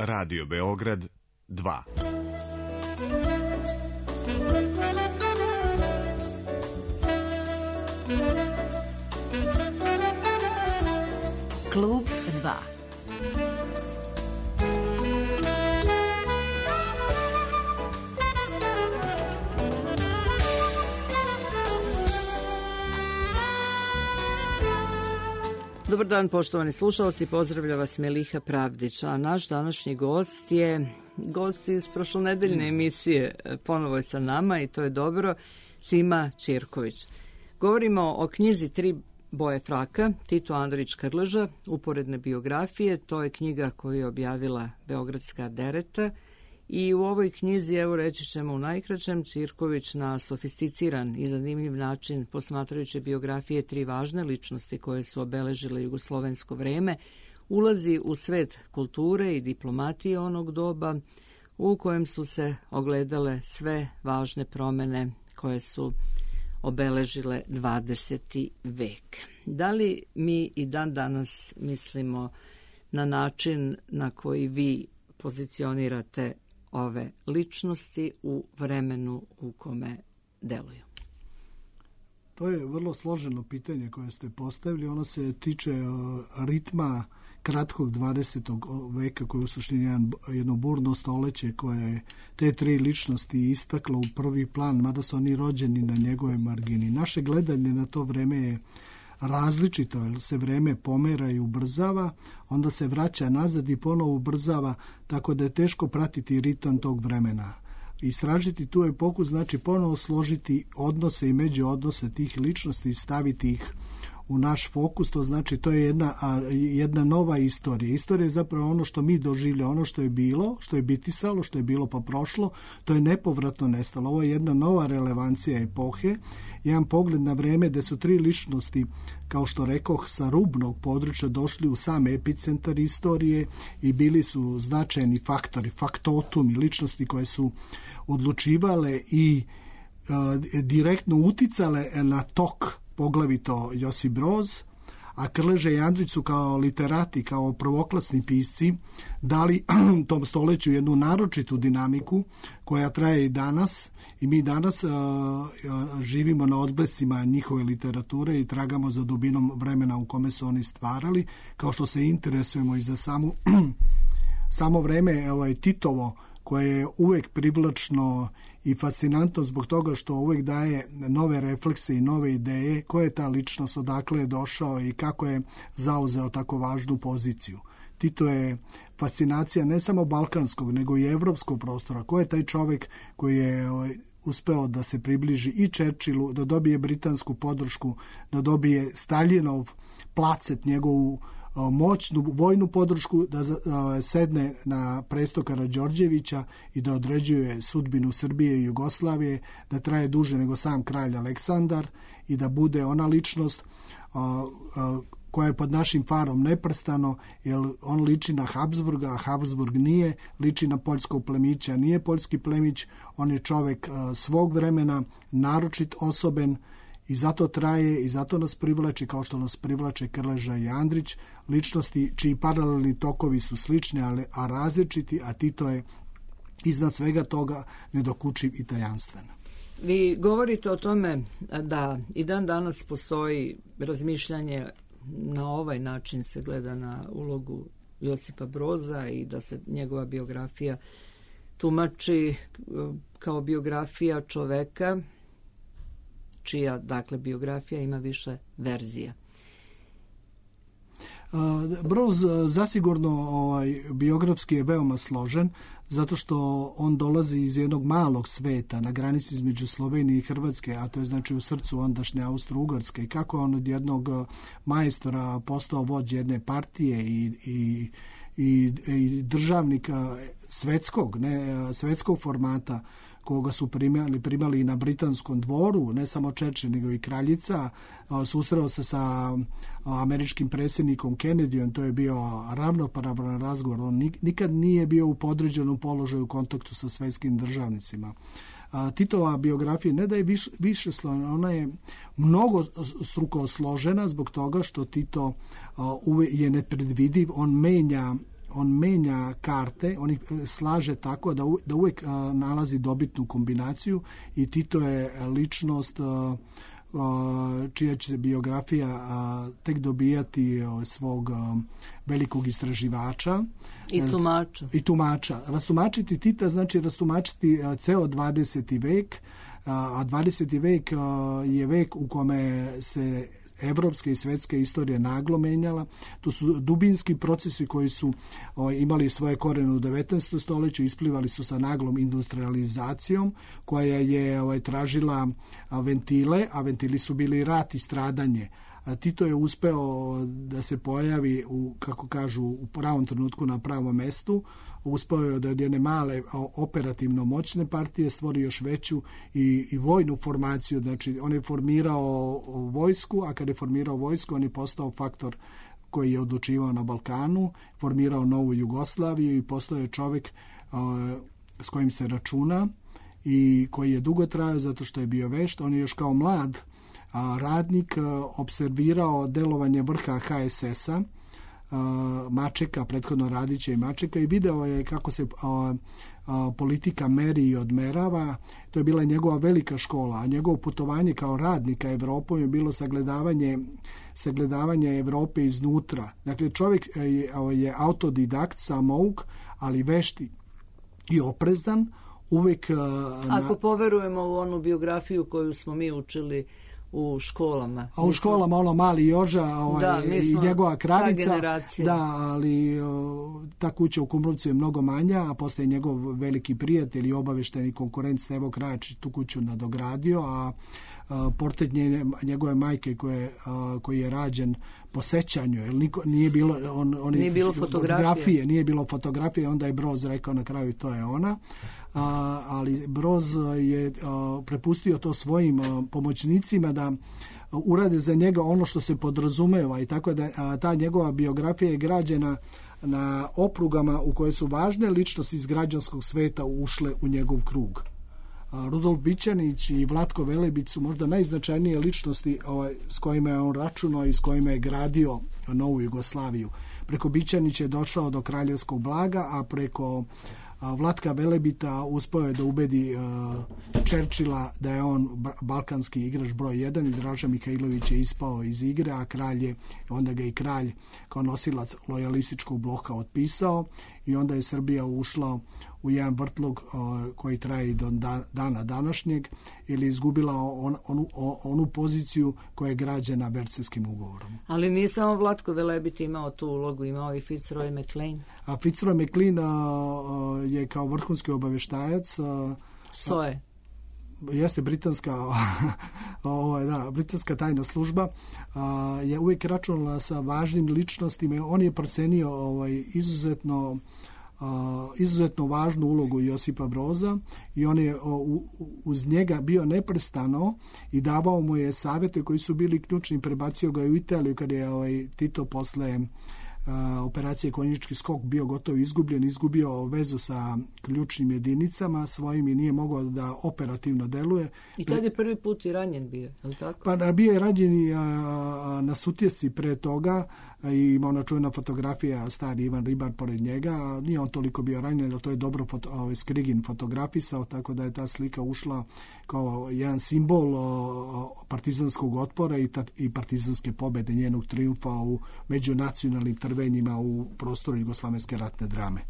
Radio Beograd 2. Klub 2. Dobar dan, poštovani slušalci, pozdravlja vas Meliha Pravdić, a naš današnji gost iz prošlonedeljne emisije, ponovo je sa nama i to je dobro, Sima Ćirković. Govorimo o knjizi Tri boje fraka, Tito Andrić Krleža, uporedne biografije, to je knjiga koju je objavila Beogradska dereta i u ovoj knjizi, evo reći ćemo u najkraćem, Ćirković na sofisticiran i zanimljiv način, posmatrajući biografije tri važne ličnosti koje su obeležile jugoslovensko vreme, ulazi u svet kulture i diplomatije onog doba u kojem su se ogledale sve važne promene koje su obeležile 20. vek. Da li mi i dan danas mislimo na način na koji vi pozicionirate ove ličnosti u vremenu u kome deluju? To je vrlo složeno pitanje koje ste postavili. Ono se tiče ritma kratkog 20. veka koji je u suštini jedno burno stoleće koje je te tri ličnosti istaklo u prvi plan, mada su oni rođeni na njegove margini. Naše gledanje na to vreme je različito, jer se vreme pomera i ubrzava, onda se vraća nazad i ponovo ubrzava, tako da je teško pratiti ritam tog vremena. Istražiti tu epohu znači ponovo složiti odnose i međuodnose tih ličnosti i staviti ih u naš fokus, to znači to je jedna nova istorija. Istorija je zapravo ono što mi doživljamo, ono što je bilo, što je bitisalo, što je bilo pa prošlo, to je nepovratno nestalo. Ovo je jedna nova relevancija epohe, jedan pogled na vreme gde su tri ličnosti, kao što rekoh, sa rubnog područja došli u sam epicentar istorije i bili su značajni faktori, faktotumi, ličnosti koje su odlučivale i direktno uticale na tok, poglavito Josip Broz, a Krleža i Andrić su kao literati, kao prvoklasni pisci dali tom stoleću jednu naročitu dinamiku koja traje i danas i mi danas živimo na odblesima njihove literature i tragamo za dubinom vremena u kome su oni stvarali, kao što se interesujemo i za samo vreme Titovo, koje je uvek privlačno i fascinantno zbog toga što uvek daje nove reflekse i nove ideje, koja je ta ličnost, odakle je došao i kako je zauzeo tako važnu poziciju. Tito je fascinacija ne samo balkanskog, nego i evropskog prostora. Ko je taj čovjek koji je uspeo da se približi i Churchillu, da dobije britansku podršku, da dobije Staljinov placet, njegovu moćnu vojnu podršku, da sedne na presto Karađorđevića i da određuje sudbinu Srbije i Jugoslavije, da traje duže nego sam kralj Aleksandar i da bude ona ličnost koja je pod našim farom neprestano, jer on liči na Habsburga, a Habsburg nije, liči na poljskog plemića, nije poljski plemić, on je čovek svog vremena, naročit osoben, i zato traje i zato nas privlači, kao što nas privlače Krleža i Andrić, ličnosti čiji paralelni tokovi su slični, a različiti, a Tito je iznad svega toga nedokučiv i tajanstven. Vi govorite o tome da i dan danas postoji razmišljanje, na ovaj način se gleda na ulogu Josipa Broza i da se njegova biografija tumači kao biografija čoveka čija, dakle, biografija ima više verzija. Broz zasigurno biografski je veoma složen, zato što on dolazi iz jednog malog sveta na granici između Slovenije i Hrvatske, a to je znači u srcu ondašnje Austro-Ugarske. I kako je on od jednog majstora postao vođ jedne partije i državnika svetskog formata, koga su primali i na britanskom dvoru, ne samo Churchill, nego i kraljica. Susreo se sa američkim predsjednikom Kennedyom, to je bio ravnopravan razgovor. On nikad nije bio u podređenom položaju u kontaktu sa svetskim državnicima. Titova biografija ne da je više složena, ona je mnogo struko složena zbog toga što Tito je nepredvidiv, on menja on menja karte, on ih slaže tako da uvijek nalazi dobitnu kombinaciju i Tito je ličnost čija će biografija tek dobijati svog velikog istraživača i tumača. Rastumačiti Tita znači rastumačiti ceo 20. vek, a 20. vek je vek u kome se evropska i svetska istorija naglo menjala. To su dubinski procesi koji su imali svoje korene u 19. stoljeću, isplivali su sa naglom industrializacijom koja je tražila ventile, a ventili su bili rat i stradanje. Tito je uspeo da se pojavi kako kažu, u pravom trenutku na pravom mestu. Uspeo je da od jedne male operativno moćne partije stvori još veću i vojnu formaciju. Znači, on je formirao vojsku, a kada je formirao vojsku, on je postao faktor koji je odlučivao na Balkanu, formirao novu Jugoslaviju i postao je čovjek s kojim se računa i koji je dugo trajao zato što je bio vešt. On je još kao mlad radnik observirao delovanje vrha HSS-a, Mačeka, prethodno Radića i Mačeka, i video je kako se politika meri i odmerava. To je bila njegova velika škola, a njegovo putovanje kao radnika Evropom je bilo sagledavanje Evrope iznutra. Dakle, čovjek je autodidakt, samouk, ali vešti i oprezan. Uvijek ako poverujemo u onu biografiju koju smo mi učili u školama. A u školama ono Mali Joža i njegova kravica. Da, ali ta kuća u Kumrovcu je mnogo manja, a postoje njegov veliki prijatelj i obavešteni konkurent Stevo Krajačić tu kuću nadogradio, a portret njegove majke koji je rađen po sećanju, jer nije bilo nije bilo fotografije, onda je Broz rekao na kraju to je ona. Ali Broz je prepustio to svojim pomoćnicima da urade za njega ono što se podrazumeva, i tako da ta njegova biografija je građena na oprugama u koje su važne ličnosti iz građanskog sveta ušle u njegov krug. Rudolf Bićanić i Vlatko Velebić su možda najznačajnije ličnosti s kojima je on računao i s kojima je gradio novu Jugoslaviju. Preko Bićanića je došao do kraljevskog blaga, a preko Vlatka Velebita uspeo je da ubedi Čerčila da je on balkanski igrač broj 1 i Draža Mihajlović je ispao iz igre, a onda ga i kralj kao nosilac lojalističkog bloka otpisao i onda je Srbija ušla u jedan vrtlog koji traje i do dana današnjeg, ili izgubila onu poziciju koja je građena Versajskim ugovorom. Ali nije samo Vlatko Velebit imao tu ulogu, imao i Fitzroy McLean. A Fitzroy McLean je kao vrhunski obaveštajac SOE. Jeste britanska tajna služba, je uvijek računala sa važnim ličnostima. On je procenio izuzetno važnu ulogu Josipa Broza i on je uz njega bio neprestano i davao mu je savjete koji su bili ključni. Prebacio ga u Italiju kada je Tito posle operacije Konjički skok bio gotovo izgubio vezu sa ključnim jedinicama svojim i nije mogao da operativno deluje. I tad je prvi put i ranjen bio, je li tako? Pa bio je ranjen na Sutjesi pre toga i ima ona čuvena fotografija, stari Ivan Ribar pored njega. Nije on toliko bio ranjen, ali to je dobro Skrigin fotografisao, tako da je ta slika ušla kao jedan simbol partizanskog otpora i partizanske pobede, njenog triumfa u međunacionalnim trvenjima u prostoru jugoslavenske ratne drame.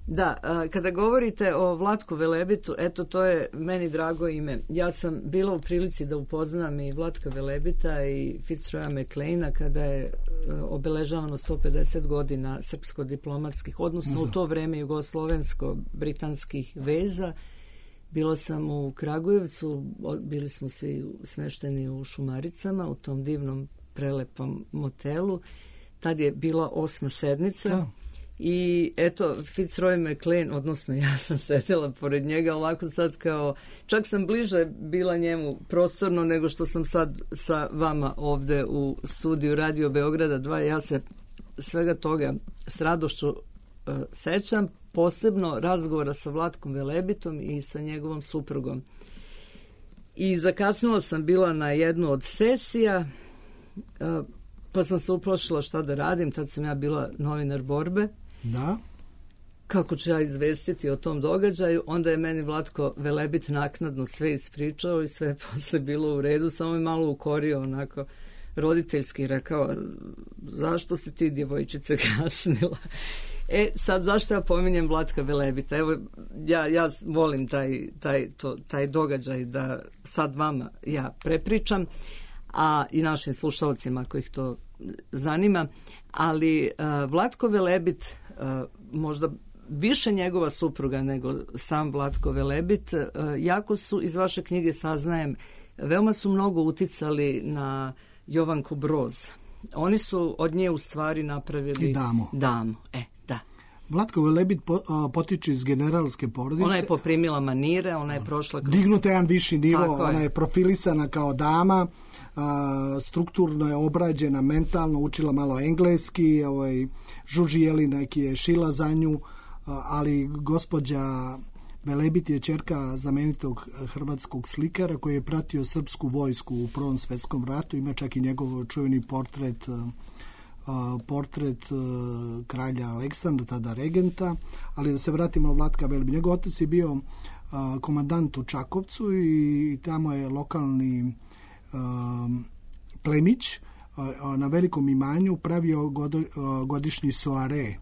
Da, kada govorite o Vlatku Velebitu, eto, to je meni drago ime. Ja sam bila u prilici da upoznam i Vlatka Velebita i Fitzroya McLeana kada je obeležavano 150 godina srpsko-diplomatskih, odnosno u to vreme jugoslovensko-britanskih veza. Bila sam u Kragujevcu, bili smo svi smešteni u Šumaricama, u tom divnom, prelepom motelu. Tad je bila 8. sednica. Da. I eto, Fitzroy McLean, odnosno ja sam sedela pored njega ovako sad kao, čak sam bliže bila njemu prostorno nego što sam sad sa vama ovde u studiju Radio Beograda 2. Ja se svega toga s radošću sećam, posebno razgovora sa Vlatkom Velebitom i sa njegovom suprugom. I zakasnila sam bila na jednu od sesija, pa sam se uplašila šta da radim, tad sam ja bila novinar Borbe. Da. Kako ću ja izvestiti o tom događaju, onda je meni Vlatko Velebit naknadno sve ispričao i sve je posle bilo u redu, samo je malo ukorio onako roditeljski, rekao zašto si ti djevojčice kasnila. Sad zašto ja pominjem Vlatka Velebita? Evo, ja volim taj događaj da sad vama ja prepričam, a i našim slušalcima kojih to zanima, ali Vlatko Velebit, možda više njegova supruga nego sam Vlatko Velebit, jako su, iz vaše knjige saznajem, veoma su mnogo uticali na Jovanku Broz. Oni su od nje u stvari napravili i damu. Da. Vlatko Velebit potiče iz generalske porodice. Ona je poprimila manire, ona je prošla kroz... Dignuta jedan viši nivo, ona je profilisana kao dama, strukturno je obrađena, mentalno, učila malo engleski, Žuži Jelinek je šila za nju, ali gospođa Velebit je ćerka znamenitog hrvatskog slikara koji je pratio srpsku vojsku u Prvom svjetskom ratu, ima čak i njegov čuveni portret kralja Aleksandra, tada regenta, ali da se vratimo na Vlatka Velebit. Njegov otac je bio komandant u Čakovcu i tamo je lokalni plemić na velikom imanju pravio godišnji soare.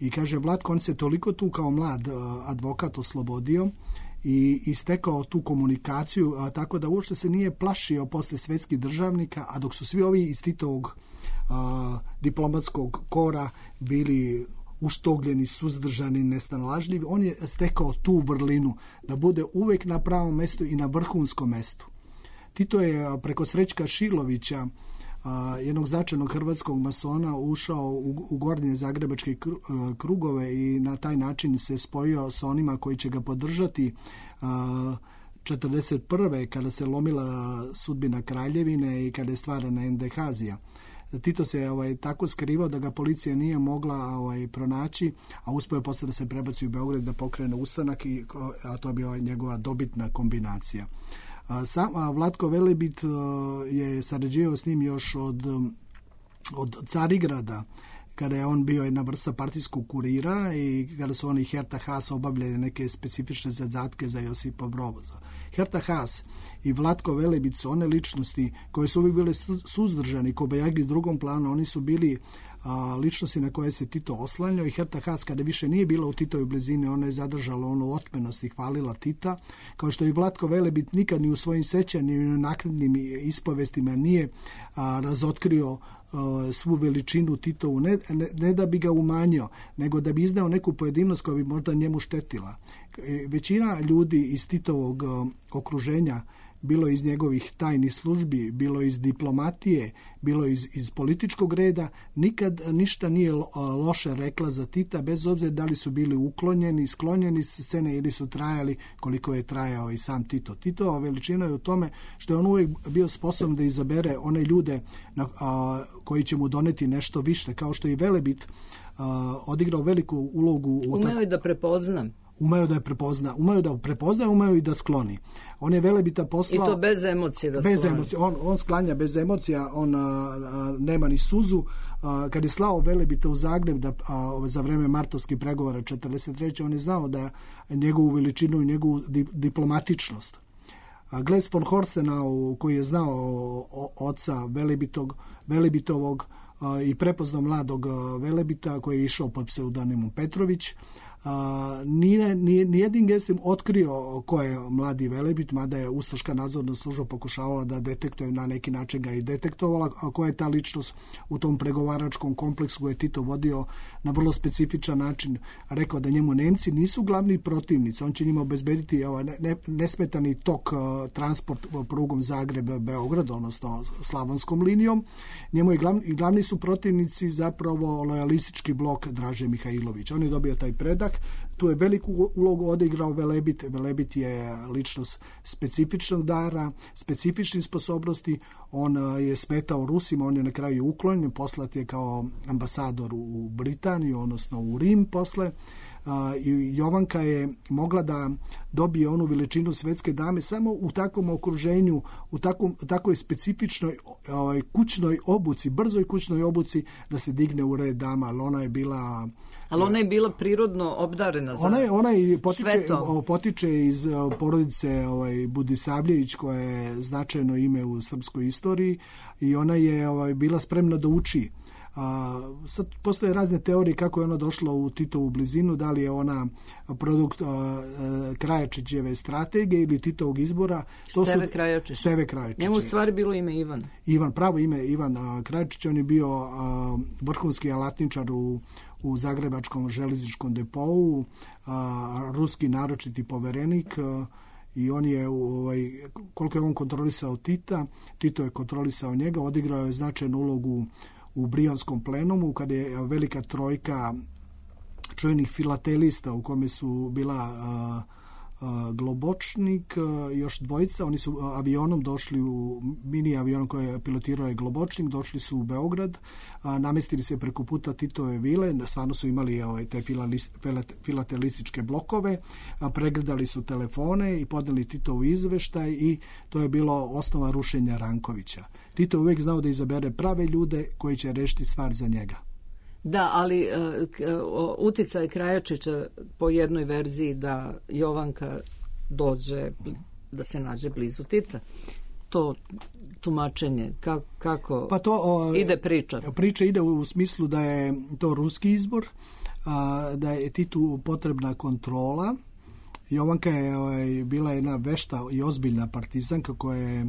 I kaže Vlatko, on se toliko tu kao mlad advokat oslobodio i stekao tu komunikaciju, tako da uopšte se nije plašio posle svetskih državnika, a dok su svi ovi iz Titovog diplomatskog kora bili uštogljeni, suzdržani, nesnalažljivi, on je stekao tu vrlinu da bude uvek na pravom mestu i na vrhunskom mestu. Tito je preko Srećka Šilovića, jednog značajnog hrvatskog masona, ušao u gornje zagrebačke krugove i na taj način se spojio sa onima koji će ga podržati 1941. kada se lomila sudbina Kraljevine i kada je stvarana NDH-zija. Tito se tako skrivao da ga policija nije mogla pronaći, a uspio je posle da se prebaci u Beograd da pokrene ustanak, a to je bila njegova dobitna kombinacija. Sam Vlatko Velebit je sarađivao s njim još od Carigrada, kada je on bio jedna vrsta partijskog kurira i kada su oni Herta Haas obavljali neke specifične zadatke za Josipa Broza. Herta Haas i Vlatko Velebit su one ličnosti koje su uvijek bile suzdržani, kobajagi u drugom planu, oni su bili ličnosti na koje se Tito oslanjao i Herta Haas kada više nije bila u Titovoj blizini, ona je zadržala onu otmenost i hvalila Tita, kao što i Vlatko Velebit nikad ni u svojim sećanjima ni u naknadnim ispovestima nije razotkrio svu veličinu Titovu, ne da bi ga umanjio, nego da bi iznao neku pojedinost koja bi možda njemu štetila. Većina ljudi iz Titovog okruženja, bilo iz njegovih tajnih službi, bilo iz diplomatije, bilo iz političkog reda, nikad ništa nije loše rekla za Tita, bez obzira da li su bili uklonjeni, sklonjeni sa scene ili su trajali koliko je trajao i sam Tito. Titova veličina je u tome što je on uvijek bio sposoban da izabere one ljude koji će mu doneti nešto više, kao što i Velebit odigrao veliku ulogu. Umeo je da prepoznam. Umeo da prepozna, umeo i da skloni. On je Velebita poslao... I to bez emocije da bez skloni. Emocije. On sklanja bez emocija, on nema ni suzu. Kad je slao Velebita u Zagreb za vreme martovskih pregovora 1943. on je znao da njegovu veličinu i njegovu diplomatičnost. Gles von Horstenau, koji je znao oca Velebitovog i prepoznao mladog Velebita koji je išao pod pseudonimom Petrović, nijednim gestom otkrio ko je mladi Velebit, mada je Ustaška nadzorna služba pokušavala da detektuje, na neki način ga i detektovala, a koja je ta ličnost u tom pregovaračkom kompleksu koje je Tito vodio na vrlo specifičan način, rekao da njemu Nemci nisu glavni protivnici, on će njima obezbediti nesmetani tok transport prugom Zagreb-Beograd, odnosno slavonskom linijom. Njemu i glavni su protivnici zapravo lojalistički blok Draže Mihajlovića. On je dobio taj predah. Tu je veliku ulogu odigrao Velebit. Velebit je ličnost specifičnog dara, specifičnih sposobnosti. On je smetao Rusima, on je na kraju uklonjen, poslat je kao ambasador u Britaniju, odnosno u Rim posle. i Jovanka je mogla da dobije onu veličinu svetske dame samo u takvom okruženju, u takvoj specifičnoj kućnoj obuci, brzoj kućnoj obuci da se digne u red dama, ali ona je bila... Ali ona je bila prirodno obdarena za ona svetom. Potiče iz porodice Budisavljević, koja je značajno ime u srpskoj istoriji, i ona je bila spremna da uči. Sad postoje razne teorije kako je ona došla u Titovu blizinu, da li je ona produkt Krajačićeve strategije ili Titovog izbora. Steve Krajačić. Njemu u stvari bilo ime Ivan. Pravo ime Ivan Krajačić, on je bio vrhunski alatničar u Zagrebačkom železničkom depou, ruski naročiti poverenik, i on je, koliko je on kontrolisao Tita, Tito je kontrolisao njega, odigrao je značajnu ulogu u Brionskom plenumu, kada je velika trojka čuvenih filatelista, u kome su bila Globočnik i još dvojica. Oni su avionom došli, u mini avionom koji je pilotirao je Globočnik, došli su u Beograd, namestili se preko puta Titove vile, stvarno su imali te filatelističke blokove, pregledali su telefone i podneli Titovu izveštaj, i to je bilo osnova rušenja Rankovića. Tito uvijek znao da izabere prave ljude koji će rešiti stvar za njega. Da, ali uticaj Krajačića po jednoj verziji da Jovanka dođe, da se nađe blizu Tita. To tumačenje, kako ide priča? Priča ide u smislu da je to ruski izbor, da je Titu potrebna kontrola. Jovanka je bila jedna vešta i ozbiljna partizanka koja je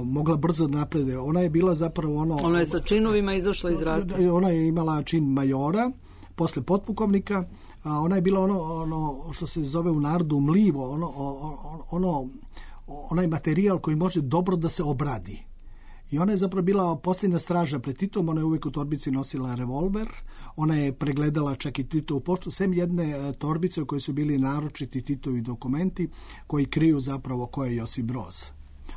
mogla brzo da napreduje. Ona je bila zapravo Ona je sa činovima izašla iz rata. Ona je imala čin majora, posle potpukovnika. Ona je bila ono što se zove u narodu mlivo, onaj materijal koji može dobro da se obradi. I ona je zapravo bila posljednja straža pred Titom, ona je uvijek u torbici nosila revolver, ona je pregledala čak i Titovu poštu, sem jedne torbice u kojoj su bili naročiti Titovi dokumenti koji kriju zapravo ko je Josip Broz.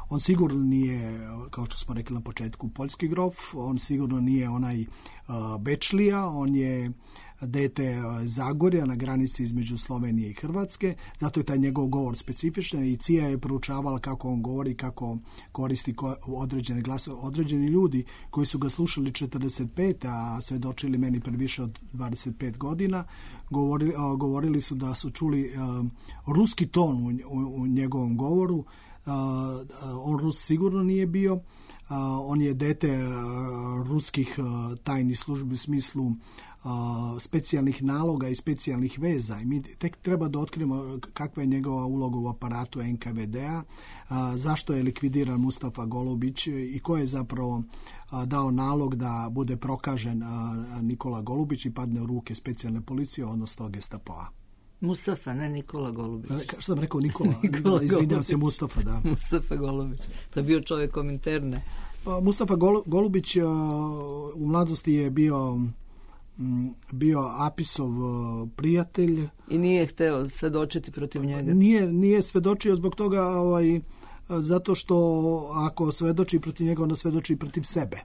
On sigurno nije, kao što smo rekli na početku, poljski grof, on sigurno nije onaj Bečlija, on je dete Zagorja na granici između Slovenije i Hrvatske, zato je taj njegov govor specifičan, i CIA je proučavala kako on govori, kako koristi određene glasove. Određeni ljudi koji su ga slušali 45, a svedočili meni pre više od 25 godina, govorili su da su čuli ruski ton u njegovom govoru. On Rus sigurno nije bio, on je dete ruskih tajnih službi u smislu specijalnih naloga i specijalnih veza, i mi tek treba da otkrijemo kakva je njegova uloga u aparatu NKVD-a, zašto je likvidiran Mustafa Golubić i ko je zapravo dao nalog da bude prokažen Nikola Golubić i padne u ruke specijalne policije, odnosno Gestapoa. Mustafa, ne Nikola Golubić. Što sam rekao? Nikola izvinjam se, Mustafa, da. Mustafa Golubić. To je bio čovjek Kominterne. Mustafa Golubić u mladosti je bio Apisov prijatelj. I nije hteo svedočiti protiv njega? Nije svedočio zbog toga, zato što ako svedoči protiv njega, onda svedoči protiv sebe.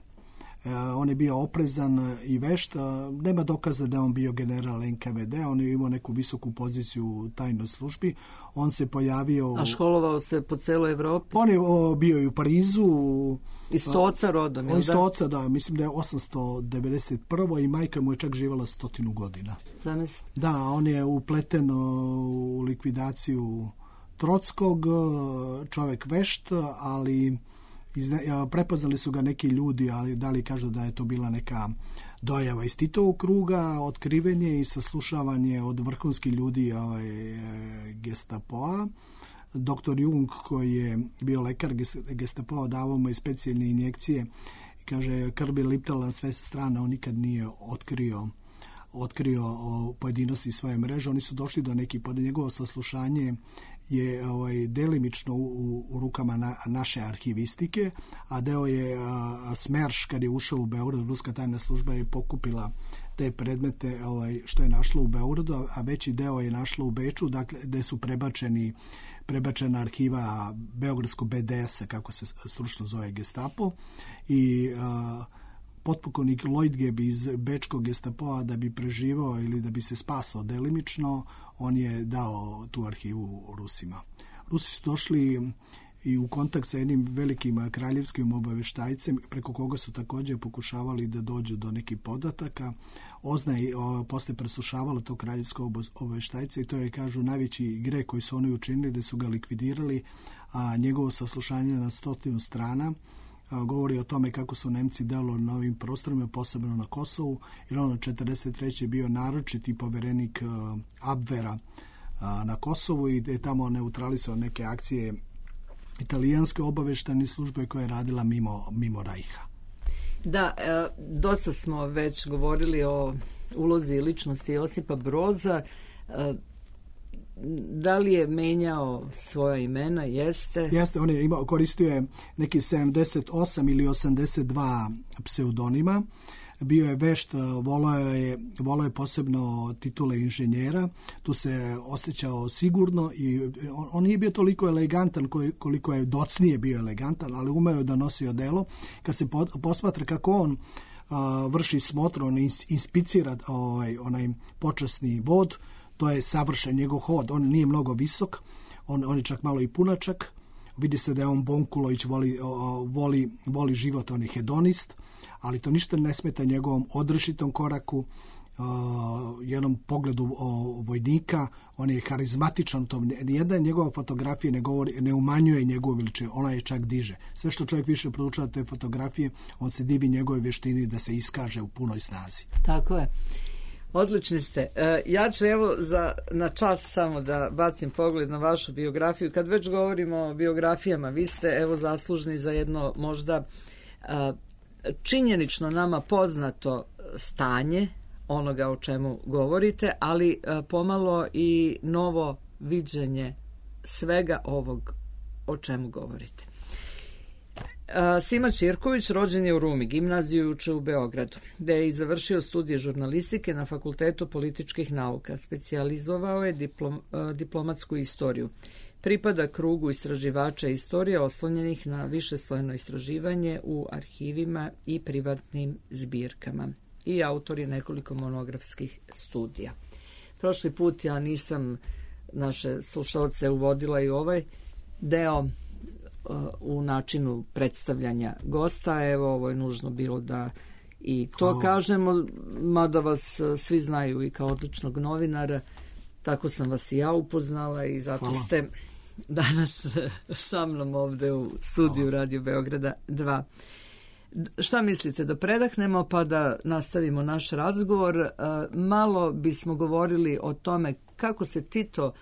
On je bio oprezan i vešt. Nema dokaza da je on bio general NKVD, on je imao neku visoku poziciju u tajnoj službi. On se pojavio... A školovao se po celoj Evropi? On je bio i u Parizu. Iz Stoca rodom, je li da? Iz Stoca, da. Mislim da je 891. i majka mu je čak živjela 100 godina. Zamisli? Da, on je upleten u likvidaciju Trockog, čovjek vešt, ali prepoznali su ga neki ljudi, ali da li kažu da je to bila neka dojava iz Titovog kruga, otkrivenje i saslušavanje od vrhunskih ljudi Gestapoa. Doktor Jung, koji je bio lekar Gestapoa, davao mu i specijalne injekcije i kaže, krv je liptala na sve strane, on nikad nije otkrio pojedinosti svoje mreže. Oni su došli do nekih, pod njegovo saslušanje je delimično u rukama naše arhivistike, a deo je Smerš, kad je ušao u Beograd, ruska tajna služba je pokupila te predmete što je našlo u Beogradu, a veći deo je našlo u Beču, dakle, gde su prebačena arhiva Beogradskog BDS-a, kako se stručno zove Gestapo, i potpukovnik Lloydgeb iz bečkog gestapoa da bi preživao ili da bi se spasao delimično, on je dao tu arhivu Rusima. Rusi su došli i u kontakt sa jednim velikim kraljevskim obaveštajcem, preko koga su također pokušavali da dođu do nekih podataka. Ozna je posle preslušavala tog kraljevskog obaveštajca i to je, kažu, najveći greh koji su oni učinili, da su ga likvidirali, a njegovo saslušanje na 100 strana govori o tome kako su Nemci delovali na ovim prostorima, posebno na Kosovu, jer on od 1943. je bio naročiti poverenik Abvera na Kosovu i je tamo neutralisao neke akcije italijanske obaveštajne službe koja je radila mimo Rajha. Da, dosta smo već govorili o ulozi i ličnosti Josipa Broza. Da li je menjao svoja imena? Jeste, on je koristio je neki 78 ili 82 pseudonima. Bio je vešt, volao je posebno titule inženjera, tu se osjećao sigurno i on nije bio toliko elegantan koliko je docnije bio elegantan, ali umeo je da nosi odelo. Kad se posmatra kako on vrši smotru, on inspicira onaj počasni vod, to je savršen njegov hod, on nije mnogo visok, on je čak malo i punačak, vidi se da je on Bonkulović, voli život, on je hedonist, ali to ništa ne smeta njegovom odrešitom koraku, jednom pogledu vojnika, on je harizmatičan, nijedna njegova fotografija ne umanjuje njegovu veličinu, ona je čak diže. Sve što čovjek više proučava te fotografije, on se divi njegove vještini da se iskaže u punoj snazi. Tako je. Odlični ste. Ja ću na čas samo da bacim pogled na vašu biografiju. Kad već govorimo o biografijama, vi ste zaslužni za jedno možda činjenično nama poznato stanje onoga o čemu govorite, ali pomalo i novo viđenje svega ovog o čemu govorite. Sima Ćirković rođen je u Rumi, gimnaziju uče u Beogradu, gde je i završio studije žurnalistike na Fakultetu političkih nauka. Specijalizovao je diplomatsku istoriju. Pripada krugu istraživača istorije oslonjenih na višeslojno istraživanje u arhivima i privatnim zbirkama. I autor je nekoliko monografskih studija. Prošli put ja nisam naše slušalce uvodila i ovaj deo u načinu predstavljanja gosta. Evo, ovo je nužno bilo da i to kažemo, mada vas svi znaju i kao odličnog novinara, tako sam vas i ja upoznala i zato ste danas sa mnom ovde u studiju Radio Beograda 2. Šta mislite, da predahnemo pa da nastavimo naš razgovor? Malo bismo govorili o tome kako se Tito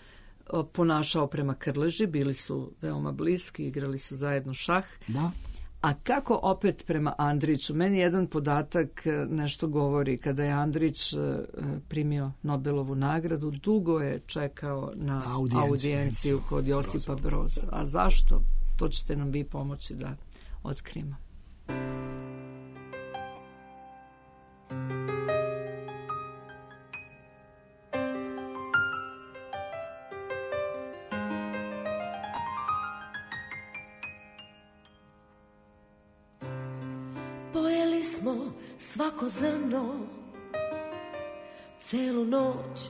ponašao prema Krleži, bili su veoma bliski, igrali su zajedno šah. Da. A kako opet prema Andriću? Meni jedan podatak nešto govori. Kada je Andrić primio Nobelovu nagradu, dugo je čekao na audijenciju kod Josipa Broza. A zašto? To ćete nam vi pomoći da otkrijemo. Pojeli smo svako zrno, celu noć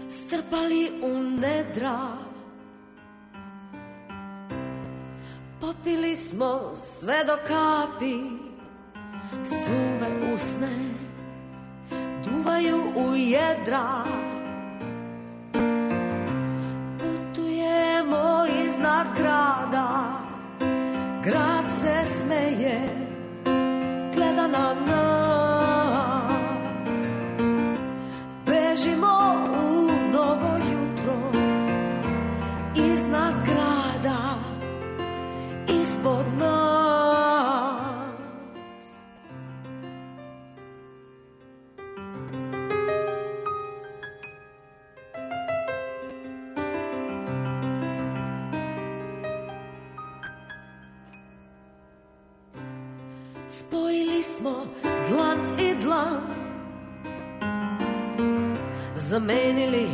strpali u nedra. Popili smo sve do kapi, suve usne duvaju u jedra. Putujemo iznad grada, grad se smeje, gleda na nas. Bežimo u novo jutro, iznad grada, ispod nas. Spojili smo dlan i dlan, zamenili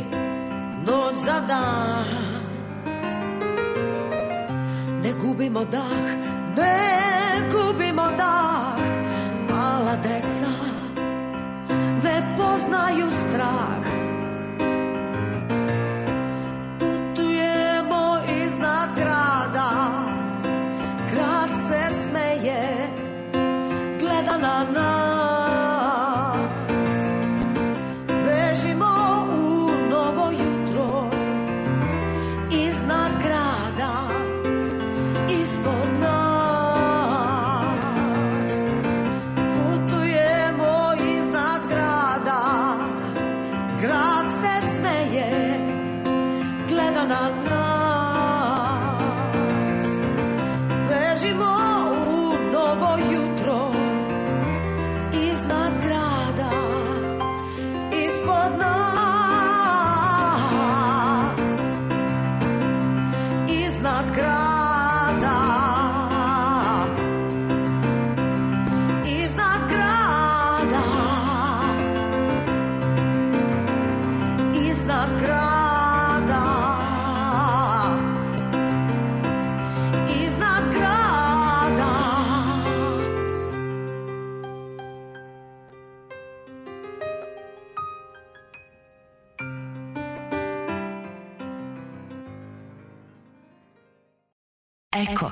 noć za dan. Ne gubimo dah, ne gubimo dah, mala deca ne poznaju strah. Putujemo iznad grada, grad se smeje, gleda na nas. Bežimo u novo jutro, iznad grada, ispod nas. Putujemo iznad grada, grad se smeje, gleda na nas. Bežimo u novo jutro, iznad grada, ispod nas. Iznad grada, iznad grada, iznad grada, iznad grada. Eko.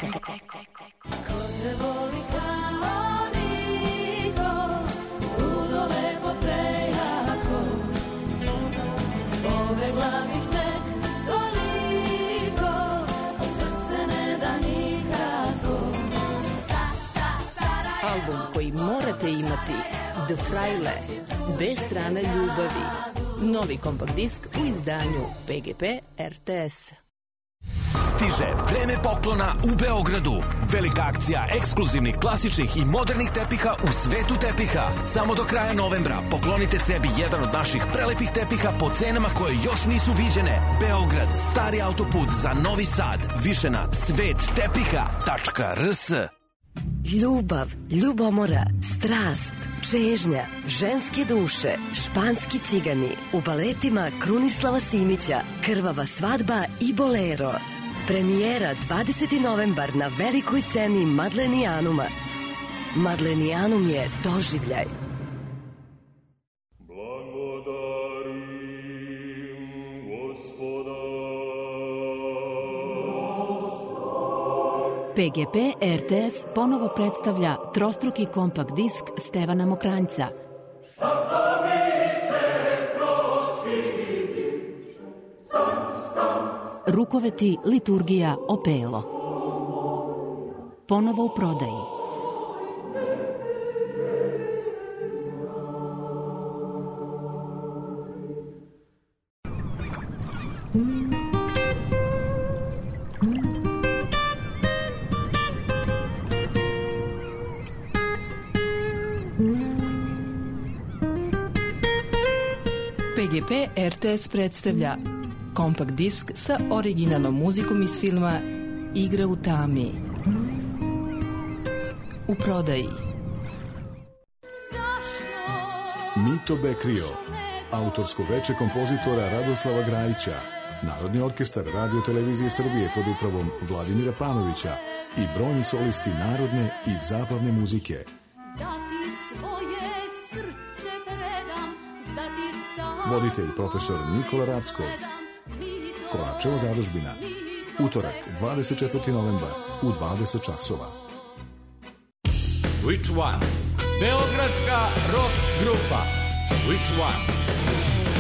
Ko te voli kao niko, ludo lepo prejako, pobegla bih tek toliko, srce ne da nikako. Album koji morate imati, The Fraile, bez strane ljubavi. Novi kompakt disk u izdanju PGP RTS. Stiže vreme poklona u Beogradu. Velika akcija ekskluzivnih, klasičnih i modernih tepiha u svetu tepiha. Samo do kraja novembra poklonite sebi jedan od naših prelepih tepiha po cenama koje još nisu viđene. Beograd, stari autoput za Novi Sad. Više na svettepiha.rs. Ljubav, ljubomora, strast, čežnja, ženske duše, španski cigani, u baletima Krunislava Simića, Krvava svadba i Bolero. Premijera 20. novembar na velikoj sceni Madlenijanuma. Madlenijanum je doživljaj. PGP RTS ponovo predstavlja trostruki kompakt disk Stevana Mokranjca. Rukoveti, liturgija, opelo. Ponovo u prodaji. PGP RTS predstavlja kompakt disk sa originalnom muzikom iz filma Igra u tami. U prodaji. Mito Bekrio, autorsko veče kompozitora Radoslava Grajića, Narodni orkestar Radio Televizije Srbije pod upravom Vladimira Panovića i brojni solisti narodne i zabavne muzike. Voditelj profesor Nikola Rackov. Kovačeva zadužbina. Utorak, 24. novembar u 20 časova. Which one? Beogradska rock grupa. Which one?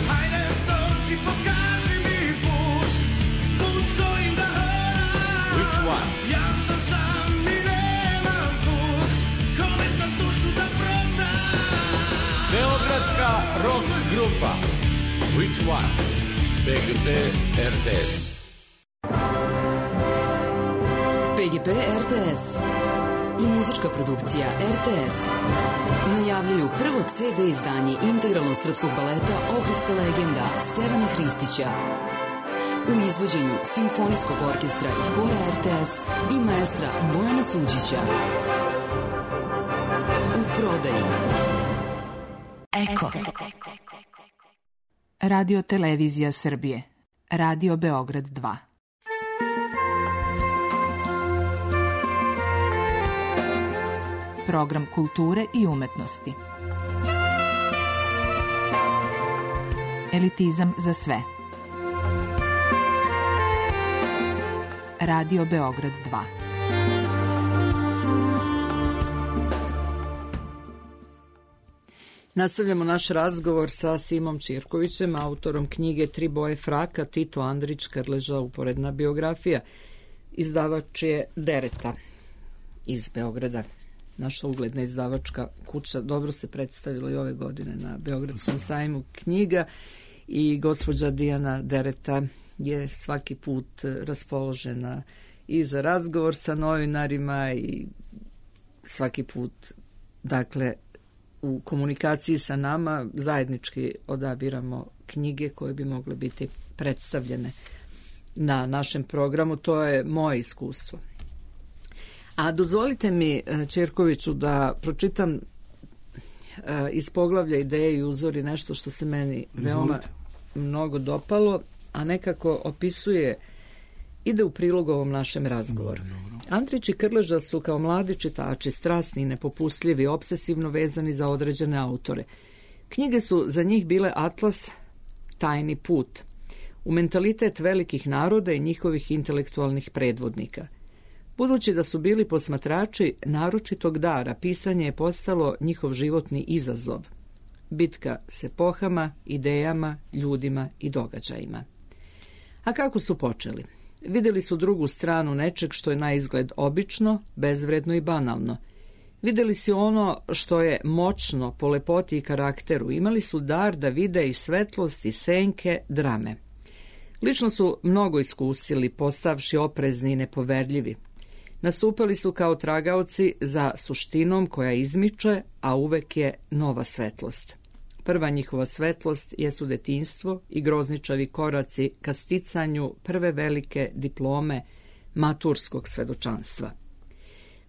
Hajde dođi, pokaži mi put, put kojim da hodam. Which one? Ja sam sam i nemam put, kome sam dušu da prodam. Beogradska rock grupa. Which one? PGP RTS. PGP RTS i muzička produkcija RTS najavljuju prvo CD izdanje integralnog srpskog baleta Ohridska legenda Stevana Hristića u izvođenju Simfonijskog orkestra i hora RTS i maestra Bojana Suđića. U prodaji. Eko. Radio Televizija Srbije. Radio Beograd 2. program kulture i umetnosti. Elitizam za sve. Radio Beograd 2. Nastavljamo naš razgovor sa Simom Ćirkovićem, autorom knjige Tri boje fraka, Tito Andrić, Krleža, uporedna biografija. Izdavač je Dereta iz Beograda. Naša ugledna izdavačka kuća dobro se predstavila i ove godine na Beogradskom sajmu knjiga i gospođa Dijana Dereta je svaki put raspoložena i za razgovor sa novinarima i svaki put, dakle, u komunikaciji sa nama zajednički odabiramo knjige koje bi mogle biti predstavljene na našem programu. To je moje iskustvo. A dozvolite mi, Ćirkoviću, da pročitam iz poglavlja Ideje i uzori nešto što se meni veoma mnogo dopalo, a nekako opisuje, ide u prilog ovom našem razgovoru. Andrić i Krleža su kao mladi čitači strasni i nepopustljivi, obsesivno vezani za određene autore. Knjige su za njih bile atlas, tajni put, u mentalitet velikih naroda i njihovih intelektualnih predvodnika. Budući da su bili posmatrači naročitog dara, pisanje je postalo njihov životni izazov. Bitka s epohama, idejama, ljudima i događajima. A kako su počeli? Vidjeli su drugu stranu nečeg što je na izgled obično, bezvredno i banalno. Vidjeli su ono što je moćno po lepoti i karakteru. Imali su dar da vide i svetlost i senke drame. Lično su mnogo iskusili, postavši oprezni i nepoverljivi. Nastupali su kao tragaoci za suštinom koja izmiče, a uvek je nova svetlost. Prva njihova svetlost jesu detinjstvo i grozničavi koraci ka sticanju prve velike diplome maturskog svedočanstva.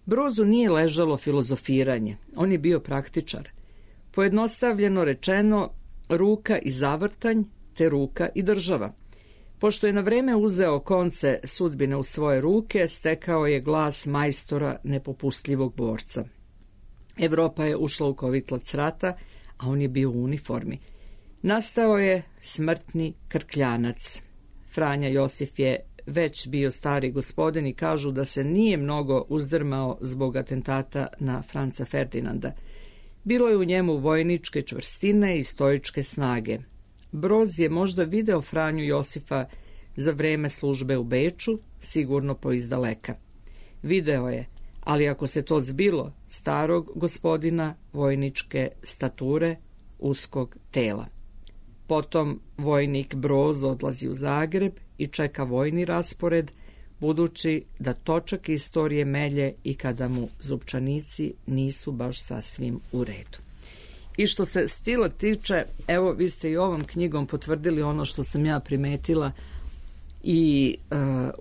Brozu nije ležalo filozofiranje, on je bio praktičar. Pojednostavljeno rečeno, ruka i zavrtanj, te ruka i država. Pošto je na vreme uzeo konce sudbine u svoje ruke, stekao je glas majstora nepopustljivog borca. Evropa je ušla u kovitlac rata, a on je bio u uniformi. Nastao je smrtni krkljanac. Franja Josif je već bio stari gospodin i kažu da se nije mnogo uzdrmao zbog atentata na Franca Ferdinanda. Bilo je u njemu vojničke čvrstine i stoičke snage. Broz je možda video Franju Josifa za vreme službe u Beču, sigurno po izdaleka. Video je, ali ako se to zbilo, starog gospodina vojničke stature, uskog tela. Potom vojnik Broz odlazi u Zagreb i čeka vojni raspored, budući da točak istorije melje i kada mu zupčanici nisu baš sasvim u redu. I što se stila tiče, evo, vi ste i ovom knjigom potvrdili ono što sam ja primetila i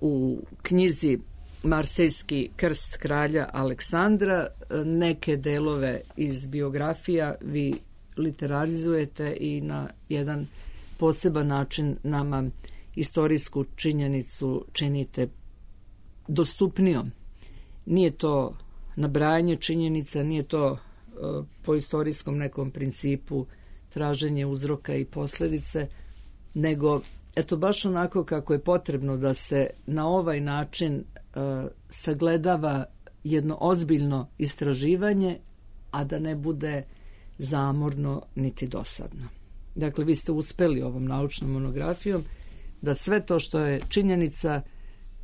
u knjizi Marsejski krst kralja Aleksandra. Neke delove iz biografija vi literarizujete i na jedan poseban način nama istorijsku činjenicu činite dostupnijom. Nije to nabrajanje činjenica, nije to po istorijskom nekom principu traženje uzroka i posljedice, nego eto baš onako kako je potrebno da se na ovaj način sagledava jedno ozbiljno istraživanje, a da ne bude zamorno niti dosadno. Dakle, vi ste uspeli ovom naučnom monografijom da sve to što je činjenica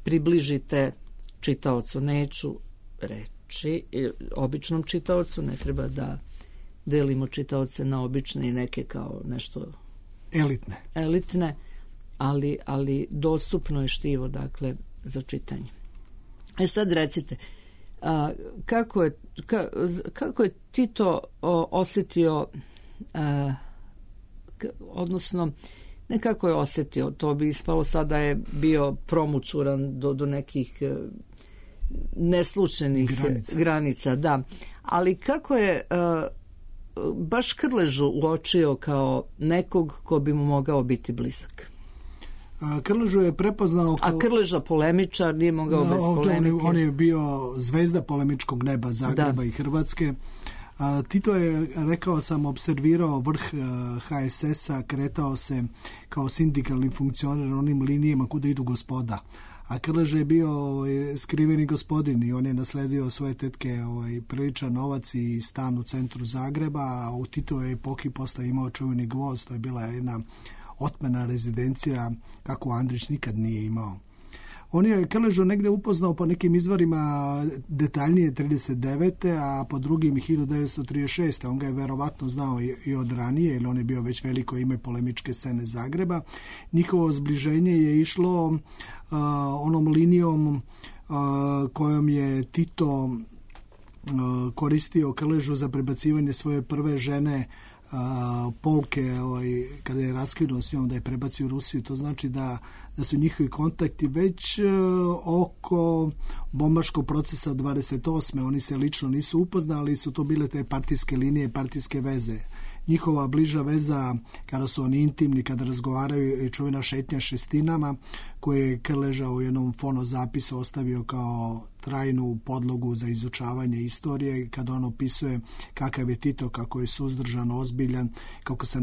približite čitaocu. Neću reći običnom čitaocu, ne treba da delimo čitaoce na obične i neke kao nešto elitne, ali dostupno je štivo, dakle, za čitanje. Sad recite, kako je Tito osjetio, odnosno ne kako je osjetio, to bi ispalo sada je bio promućuran do nekih neslučajnih granica, da. Ali kako je baš Krležu uočio kao nekog ko bi mu mogao biti blizak? Krležu je prepoznao... A Krleža polemičar, nije mogao bez polemike. On je bio zvezda polemičkog neba Zagreba i Hrvatske. Tito je, rekao sam, observirao vrh HSS-a, kretao se kao sindikalni funkcioner onim linijama kuda idu gospoda. A Krleža je bio skriveni gospodin i on je nasledio svoje tetke priličan novac i stan u centru Zagreba, a u Titovoj epohi posle imao čuveni Gvozd, to je bila jedna otmena rezidencija kako Andrić nikad nije imao. On je Krležu negde upoznao po nekim izvorima detaljnije 39. a po drugim 1936. On ga je verovatno znao i od ranije, jer on je bio već veliko ime polemičke scene Zagreba. Njihovo zbliženje je išlo onom linijom kojom je Tito koristio Krležu za prebacivanje svoje prve žene Polke, kada je raskinuo s njom, da je prebacio u Rusiju. To znači da su njihovi kontakti već oko bombaškog procesa 28. Oni se lično nisu upoznali, su to bile te partijske linije, partijske veze. Njihova bliža veza, kada su oni intimni, kada razgovaraju, i čuvena šetnja šestinama, koje je Krleža u jednom fonozapisu ostavio kao trajnu podlogu za izučavanje istorije, kada on opisuje kakav je Tito, kako je suzdržan, ozbiljan, kako se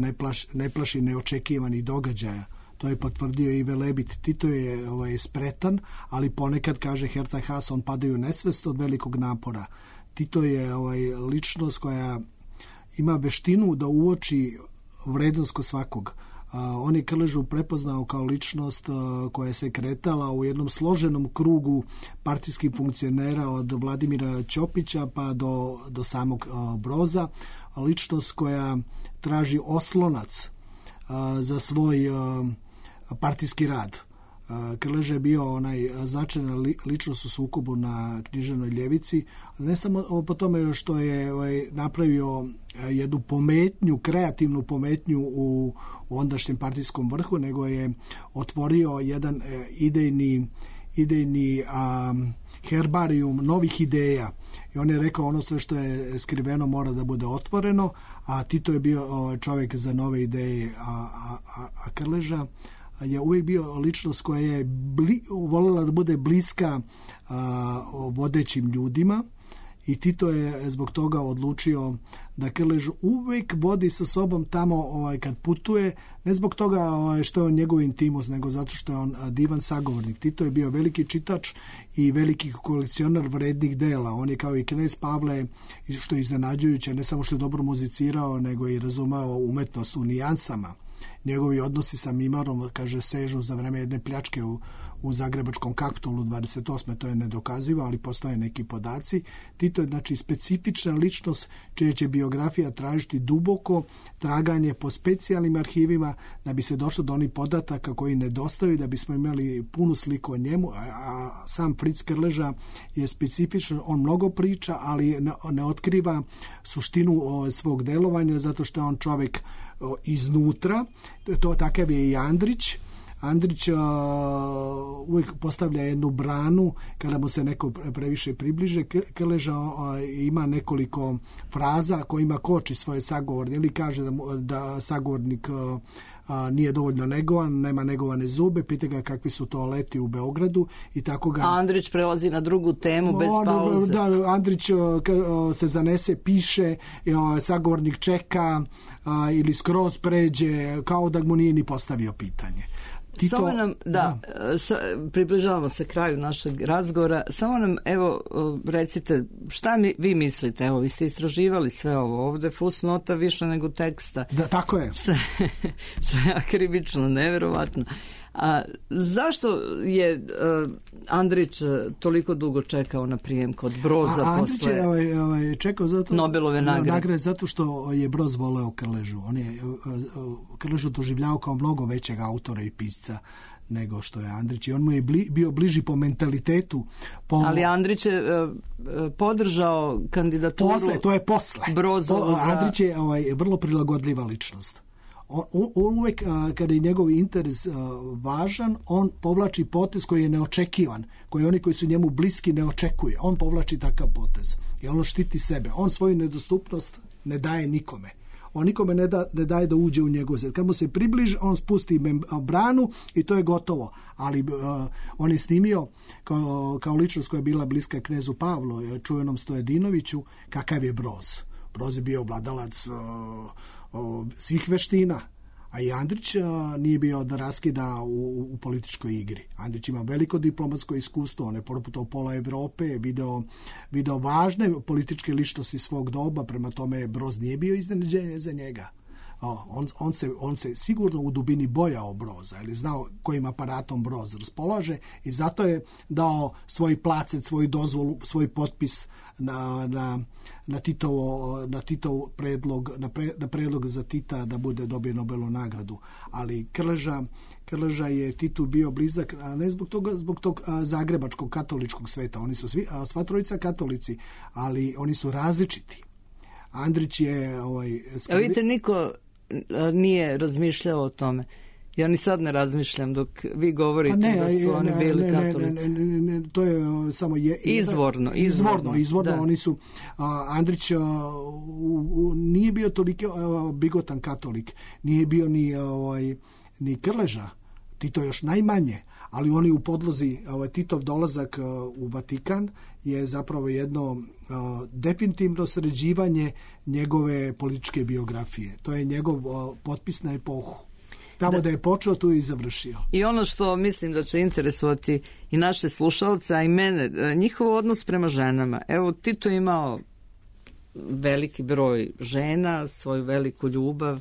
ne plaši neočekivanih događaja. To je potvrdio i Velebit. Tito je spretan, ali ponekad, kaže Herta Haas, on padaju nesvest od velikog napora. Tito je ličnost koja ima veštinu da uoči vrednost kod svakog. On je Krležu prepoznao kao ličnost koja se kretala u jednom složenom krugu partijskih funkcionera od Vladimira Ćopića pa do samog Broza. Ličnost koja traži oslonac za svoj partijski rad. Krleža je bio značajna ličnost u sukobu na književnoj ljevici, ne samo po tome što je napravio jednu pometnju, kreativnu pometnju u ondašnjem partijskom vrhu, nego je otvorio jedan idejni herbarijum novih ideja. I on je rekao, ono sve što je skriveno mora da bude otvoreno, a Tito je bio čovjek za nove ideje, a Krleža je uvijek bio ličnost koja je voljela da bude bliska vodećim ljudima, i Tito je zbog toga odlučio da Krležu uvijek vodi sa sobom tamo kad putuje, ne zbog toga što je on njegov intimus, nego zato što je on divan sagovornik. Tito je bio veliki čitač i veliki kolekcionar vrednih dela. On je kao i knez Pavle, što je iznenađujuće, ne samo što je dobro muzicirao, nego i razumao umetnost u nijansama. Njegovi odnosi sa Mimarom, kaže, sežu za vreme jedne pljačke u Zagrebačkom Kapitolu 28. To je nedokazivo, ali postoje neki podaci. Tito je, znači, specifična ličnost čija će biografija tražiti duboko traganje po specijalnim arhivima da bi se došlo do onih podataka koji nedostaju, da bismo imali punu sliku o njemu. A sam Fritz Krleža je specifičan, on mnogo priča, ali ne otkriva suštinu svog delovanja, zato što je on čovjek iznutra. To takav je i Andrić. Andrić uvijek postavlja jednu branu kada mu se neko previše približe. Krleža ima nekoliko fraza kojima koči svoje sagovornike, ili kaže da sagovornik nije dovoljno negovan, nema negovane zube, pita ga kakvi su toaleti u Beogradu i tako ga... A Andrić prelazi na drugu temu bez pauze. Da, Andrić se zanese, piše, sagovornik čeka ili skroz pređe, kao da mu nije ni postavio pitanje. Tito, samo nam, približavamo se kraju našeg razgovora, samo nam, evo, recite, šta vi mislite, evo, vi ste istraživali sve ovo, ovde fusnota više nego teksta. Da, tako je. Sve akribično, neverovatno. A zašto je Andrić toliko dugo čekao na prijem kod Broza posle Andrić je čekao zato Nobelove nagrade? Zato što je Broz voleo Krležu. On je Krležu doživljavao kao mnogo većeg autora i pisca nego što je Andrić, i on mu je bio bliži po mentalitetu. Ali Andrić je podržao kandidaturu. To je posle. Brozovo Andrić je vrlo prilagodljiva ličnost. On uvijek, kada je njegov interes važan, on povlači potez koji je neočekivan, koji oni koji su njemu bliski ne očekuje. On povlači takav potez i on štiti sebe. On svoju nedostupnost ne daje nikome. on nikome ne daje da uđe u njegov svet. Kad mu se približi, on spusti branu i to je gotovo. Ali on je snimio kao ličnost koja je bila bliska knezu Pavlu, čuvenom Stojedinoviću, kakav je Broz. Broz je bio vladalac svih veština. A i Andrić nije bio da raskida u političkoj igri. Andrić ima veliko diplomatsko iskustvo, on je proputao pola Evrope, video važne političke ličnosti svog doba, prema tome Broz nije bio iznenađenje za njega. On se sigurno u dubini bojao Broza, ili znao kojim aparatom Broz raspolaže i zato je dao svoj placet, svoju dozvolu, svoj potpis na Titov predlog, na predlog za Tita da bude dobio Nobelovu nagradu. Ali Krleža je Titu bio blizak, a ne zbog tog zagrebačkog katoličkog sveta. Oni su sva trojica katolici, ali oni su različiti. Andrić je... vidite, niko nije razmišljao o tome. Ja ni sad ne razmišljam dok vi govorite da su oni bili katolici. Ne, to je samo izvorno. Da. Oni su... Andrić nije bio toliko bigotan katolik. Nije bio ni Krleža. Tito još najmanje. Ali oni u podlozi, Titov dolazak u Vatikan je zapravo jedno definitivno sređivanje njegove političke biografije. To je njegov potpis na epohu. Tamo da je počeo, tu je i završio. I ono što mislim da će interesovati i naše slušalce, a i mene, njihov odnos prema ženama. Evo, Tito je imao veliki broj žena, svoju veliku ljubav.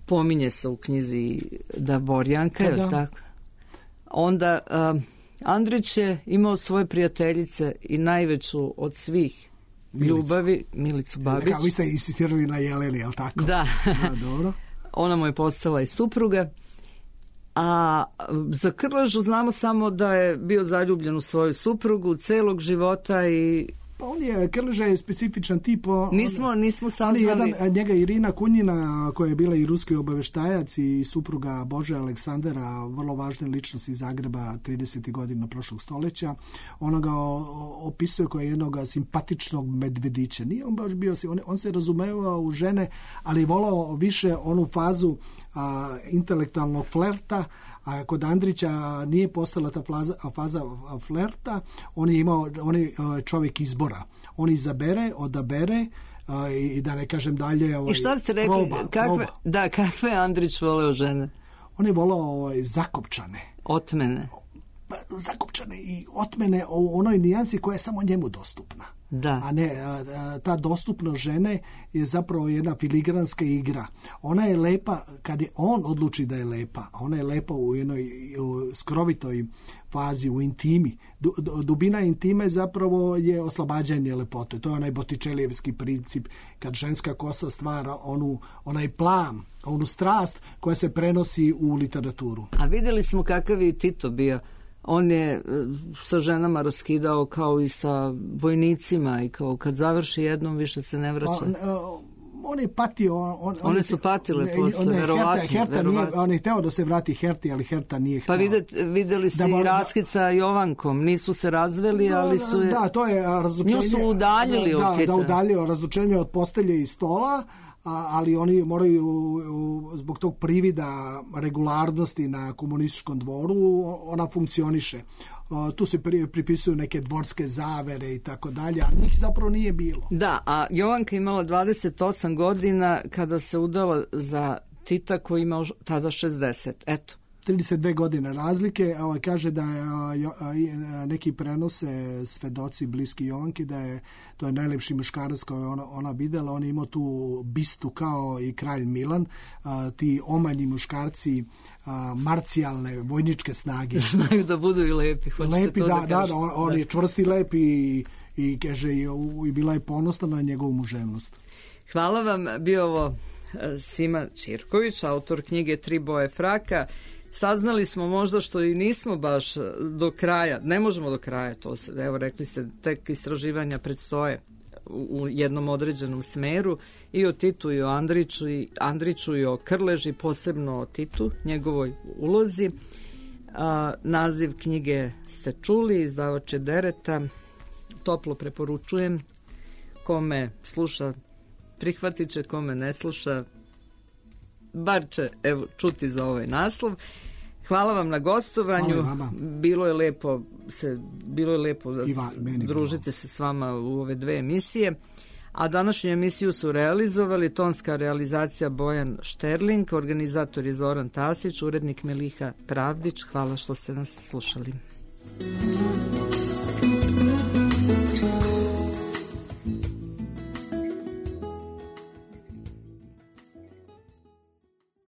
Pominje se u knjizi da Borjanka, je li tako? Onda Andrić je imao svoje prijateljice i najveću od svih ljubavi, Milicu Babić. Vi ste insistirali na Jeleni, je li tako? Da. Dobro. Ona mu je postala i supruga. A za Krležu znamo samo da je bio zaljubljen u svoju suprugu celog života i... Pa Krleža je specifičan tip. Nismo saznali. Njega Irina Kunjina, koja je bila i ruski obaveštajac i supruga Bože Aleksandara, vrlo važne ličnosti iz Zagreba 30. godina prošlog stoljeća, ona ga opisuje kao jednog simpatičnog medvedića. Nije on baš bio, on se razumevao u žene, ali je volao više onu fazu intelektualnog flerta, a kod Andrića nije postala ta faza flerta, on je čovjek izbora. On izabere, odabere i da ne kažem dalje... I šta ste rekli? Kakve Andrić voleo žene? On je voleo zakopčane. Otmene. Zakopčane i otmene u onoj nijansi koja je samo njemu dostupna. Da. A ne, ta dostupnost žene je zapravo jedna filigranska igra. Ona je lepa kad je on odluči da je lepa, a ona je lepa u jednoj skrovitoj fazi, u intimi. Dubina intime zapravo je oslobađanje lepote. To je onaj Bottičelijevski princip kad ženska kosa stvara onaj plam, onu strast koja se prenosi u literaturu. A vidjeli smo kakav je Tito bio. On je sa ženama raskidao kao i sa vojnicima i kao kad završi jednom više se ne vraća. On je patio. One su patile posle, verovatno. On je hteo da se vrati Herti, ali Herta nije hteo. Pa vidjeli ste i raskid sa Jovankom. Nisu se razveli, ali su... Da, to je razlučenje. Nju su udaljili od Tita. Da, udaljio razlučenje od postelje i stola, ali oni moraju zbog tog privida regularnosti na komunističkom dvoru, ona funkcioniše. Tu se pripisuju neke dvorske zavere i tako dalje, a njih zapravo nije bilo. Da, a Jovanka imala 28 godina kada se udala za Tita koji imao tada 60. Eto. 32 godine razlike, kaže da neki prenose svedoci bliski Jovanki da to je najlepši muškarac koji ona videla. On je imao tu bistu kao i kralj Milan, ti omanji muškarci marcijalne vojničke snage. Znaju da budu i lepi. Lepi, da, on je čvrsti lep i kaže i bila je ponosna na njegovu muževnost. Hvala vam, bio ovo Sima Ćirković, autor knjige Tri boje fraka. Saznali smo možda što i nismo baš do kraja, ne možemo do kraja to se, evo rekli ste, tek istraživanja predstoje u jednom određenom smeru i o Titu i o Andriću i o Krleži, posebno o Titu, njegovoj ulozi. Naziv knjige ste čuli, izdavač je Dereta, toplo preporučujem kome sluša prihvatit će, kome ne sluša, bar će evo, čuti za ovaj naslov. Hvala vam na gostovanju. Bilo je lepo da družite se s vama u ove dve emisije. A današnju emisiju su realizovali tonska realizacija Bojan Šterling, organizator je Zoran Tasić, urednik Meliha Pravdić. Hvala što ste nas slušali.